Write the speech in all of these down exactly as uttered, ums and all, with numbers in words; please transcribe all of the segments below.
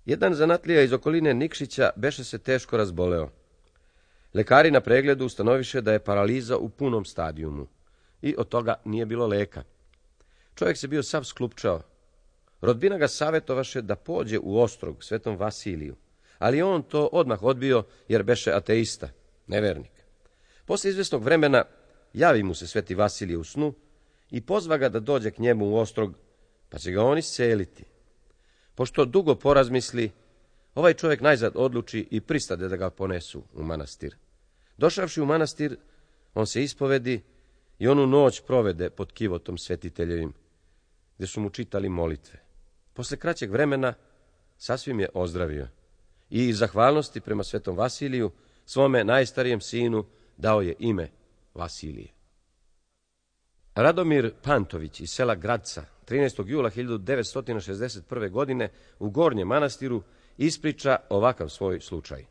Jedan zanatlija iz okoline Nikšića beše se teško razboleo. Lekari na pregledu ustanoviše da je paraliza u punom stadijumu i od toga nije bilo leka. Čovjek se bio sav sklupčao. Rodbina ga savjetovaše da pođe u Ostrog svetom Vasiliju, ali on to odmah odbio jer beše ateista, nevernik. Posle izvjesnog vremena javi mu se sveti Vasilije u snu i pozva ga da dođe k njemu u Ostrog, pa će ga on isceliti. Pošto dugo porazmisli, ovaj čovjek najzad odluči i pristade da ga ponesu u manastir. Došavši u manastir, on se ispovedi i onu noć provede pod kivotom svetiteljevim, gdje su mu čitali molitve. Posle kraćeg vremena sasvim je ozdravio i iz zahvalnosti prema svetom Vasiliju svome najstarijem sinu dao je ime Vasilije. Radomir Pantović iz sela Gradca trinaestog jula hiljadu devetsto šezdeset prve. godine u Gornjem Manastiru ispriča ovakav svoj slučaj.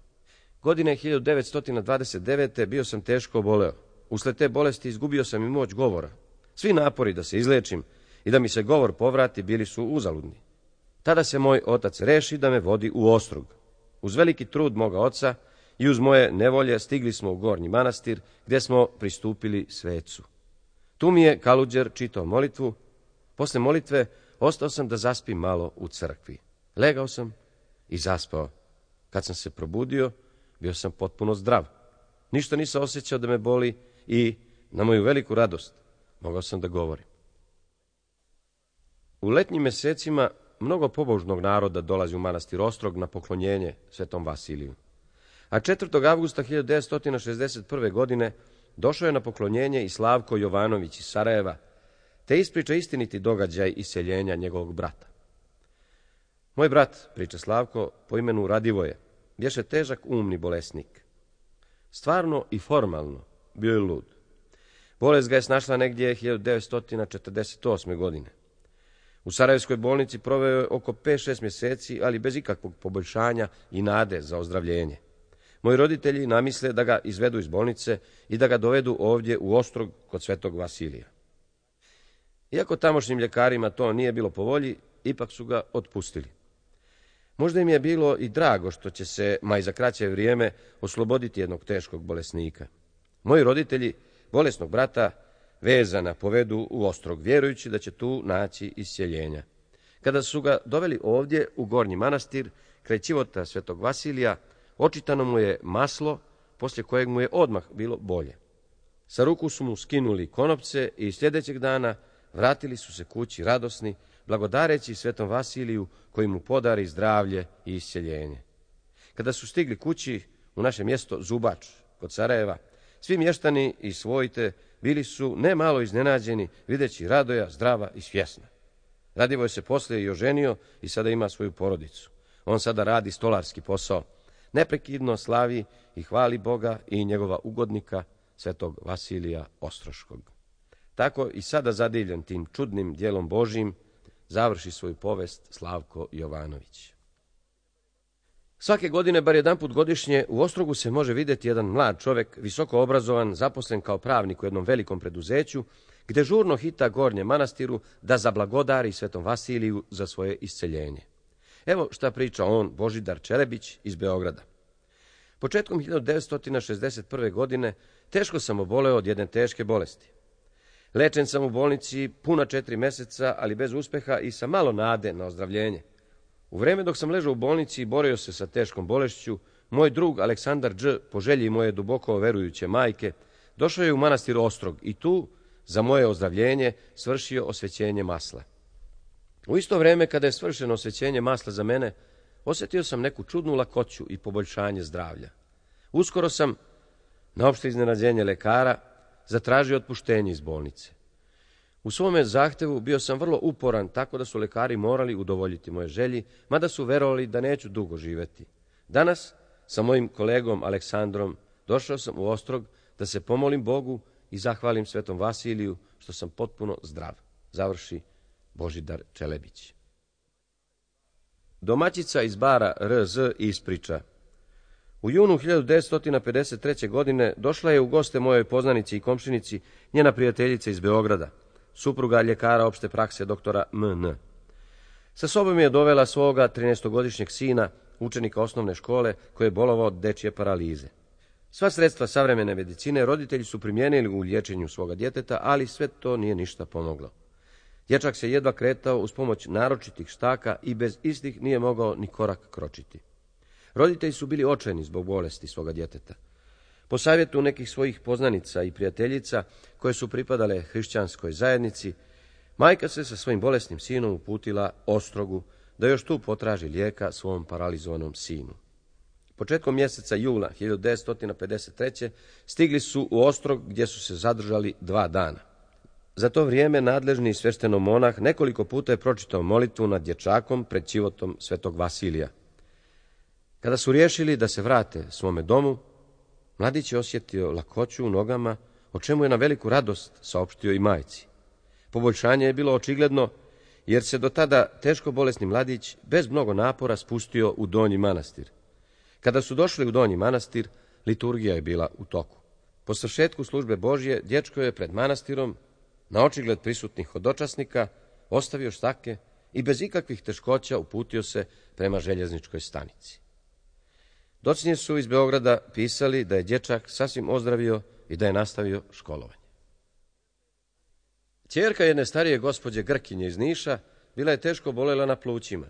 Godine hiljadu devetsto dvadeset devete. bio sam teško oboleo. Usled te bolesti izgubio sam i moć govora. Svi napori da se izlečim i da mi se govor povrati bili su uzaludni. Tada se moj otac reši da me vodi u Ostrog. Uz veliki trud moga oca i uz moje nevolje stigli smo u Gornji Manastir, gdje smo pristupili svecu. Tu mi je Kaluđer čitao molitvu. Posle molitve ostao sam da zaspim malo u crkvi. Legao sam i zaspao. Kad sam se probudio, bio sam potpuno zdrav. Ništa nisam osjećao da me boli i, na moju veliku radost, mogao sam da govorim. U letnjim mjesecima mnogo pobožnog naroda dolazi u manastir Ostrog na poklonjenje svetom Vasiliju. A četvrtog avgusta hiljadu devetsto šezdeset prve. godine došao je na poklonjenje i Slavko Jovanović iz Sarajeva, te ispriča istiniti događaj iseljenja njegovog brata. Moj brat, priča Slavko, po imenu Radivoje, bješe težak umni bolesnik. Stvarno i formalno bio je lud. Bolest ga je snašla negdje hiljadu devetsto četrdeset osme. godine. U Sarajevskoj bolnici proveo je oko pet šest mjeseci, ali bez ikakvog poboljšanja i nade za ozdravljenje. Moji roditelji namisle da ga izvedu iz bolnice i da ga dovedu ovdje u Ostrog kod svetog Vasilija. Iako tamošnjim ljekarima to nije bilo po volji, ipak su ga otpustili. Možda im je bilo i drago što će se, ma i za kraće vrijeme, osloboditi jednog teškog bolesnika. Moji roditelji bolesnog brata vezana povedu u Ostrog, vjerujući da će tu naći isceljenja. Kada su ga doveli ovdje u Gornji Manastir, kraj ćivota svetog Vasilija, očitano mu je maslo, poslije kojeg mu je odmah bilo bolje. Sa ruku su mu skinuli konopce i sljedećeg dana vratili su se kući radosni, blagodareći svetom Vasiliju koji mu podari zdravlje i isceljenje. Kada su stigli kući u naše mjesto Zubač kod Sarajeva, svi mještani i svojite bili su ne malo iznenađeni videći Radoja zdrava i svjesna. Radivoj se poslije i oženio i sada ima svoju porodicu. On sada radi stolarski posao. Neprekidno slavi i hvali Boga i njegova ugodnika, svetog Vasilija Ostroškog. Tako i sada zadivljen tim čudnim djelom Božjim, završi svoju povest Slavko Jovanović. Svake godine, bar jedanput godišnje, u Ostrogu se može vidjeti jedan mlad čovjek, visoko obrazovan, zaposlen kao pravnik u jednom velikom preduzeću, gdje žurno hita Gornjem Manastiru da zablagodari svetom Vasiliju za svoje isceljenje. Evo šta priča on, Božidar Čelebić iz Beograda. Početkom hiljadu devetsto šezdeset prve. godine teško sam oboleo od jedne teške bolesti. Lečen sam u bolnici puna četiri mjeseca, ali bez uspjeha i sa malo nade na ozdravljenje. U vrijeme dok sam ležao u bolnici i borio se sa teškom bolešću, moj drug Aleksandar Đ, po želji moje duboko verujuće majke, došao je u manastir Ostrog i tu, za moje ozdravljenje, svršio osvećenje masla. U isto vrijeme kada je svršeno osvećenje masla za mene, osjetio sam neku čudnu lakoću i poboljšanje zdravlja. Uskoro sam, na opšte iznenađenje lekara, zatražio otpuštenje iz bolnice. U svome zahtevu bio sam vrlo uporan, tako da su lekari morali udovoljiti moje želji, mada su verovali da neću dugo živjeti. Danas, sa mojim kolegom Aleksandrom, došao sam u Ostrog da se pomolim Bogu i zahvalim svetom Vasiliju što sam potpuno zdrav. Završi Božidar Čelebić. Domaćica iz Bara R Z ispriča. U junu hiljadu devetsto pedeset treće. godine došla je u goste mojoj poznanici i komšinici njena prijateljica iz Beograda, supruga ljekara opšte prakse doktora M N. Sa sobom je dovela svoga trinaestogodišnjeg sina, učenika osnovne škole, koji je bolovao od dečje paralize. Sva sredstva savremene medicine roditelji su primijenili u liječenju svoga djeteta, ali sve to nije ništa pomoglo. Dječak se jedva kretao uz pomoć naročitih štaka i bez istih nije mogao ni korak kročiti. Roditelji su bili očajni zbog bolesti svoga djeteta. Po savjetu nekih svojih poznanica i prijateljica, koje su pripadale hrišćanskoj zajednici, majka se sa svojim bolesnim sinom uputila Ostrogu da još tu potraži lijeka svom paralizovanom sinu. Početkom mjeseca jula hiljadu devetsto pedeset treće. stigli su u Ostrog gdje su se zadržali dva dana. Za to vrijeme nadležni sveštenomonah nekoliko puta je pročitao molitvu nad dječakom pred ćivotom svetog Vasilija. Kada su riješili da se vrate svome domu, mladić je osjetio lakoću u nogama, o čemu je na veliku radost saopštio i majci. Poboljšanje je bilo očigledno, jer se do tada teško bolesni mladić bez mnogo napora spustio u Donji manastir. Kada su došli u Donji manastir, liturgija je bila u toku. Po svršetku službe Božje, dječko je pred manastirom, na očigled prisutnih hodočasnika, ostavio štake i bez ikakvih teškoća uputio se prema željezničkoj stanici. Docnije su iz Beograda pisali da je dječak sasvim ozdravio i da je nastavio školovanje. Ćerka jedne starije gospođe Grkinje iz Niša bila je teško bolela na plućima.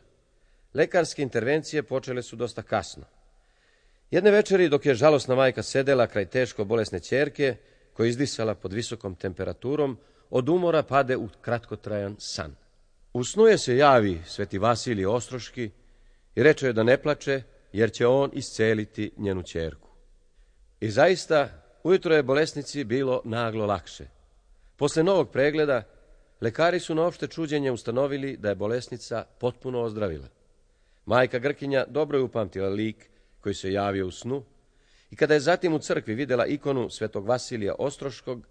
Lekarske intervencije počele su dosta kasno. Jedne večeri, dok je žalosna majka sedela kraj teško bolesne ćerke, koja je izdisala pod visokom temperaturom, od umora pade u kratkotrajan san. U snu je se javi sveti Vasilij Ostroški i reče joj da ne plače, jer će on isceliti njenu ćerku. I zaista, ujutro je bolesnici bilo naglo lakše. Posle novog pregleda, lekari su na opšte čuđenje ustanovili da je bolesnica potpuno ozdravila. Majka Grkinja dobro je upamtila lik koji se javio u snu i kada je zatim u crkvi vidjela ikonu svetog Vasilija Ostroškog,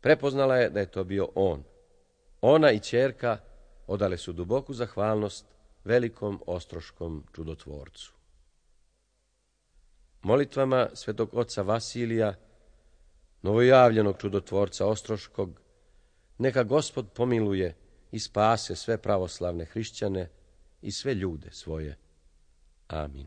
prepoznala je da je to bio on. Ona i ćerka odale su duboku zahvalnost velikom ostroškom čudotvorcu. Molitvama svetog oca Vasilija, novojavljenog čudotvorca Ostroškog, neka Gospod pomiluje i spase sve pravoslavne hrišćane i sve ljude svoje. Amin.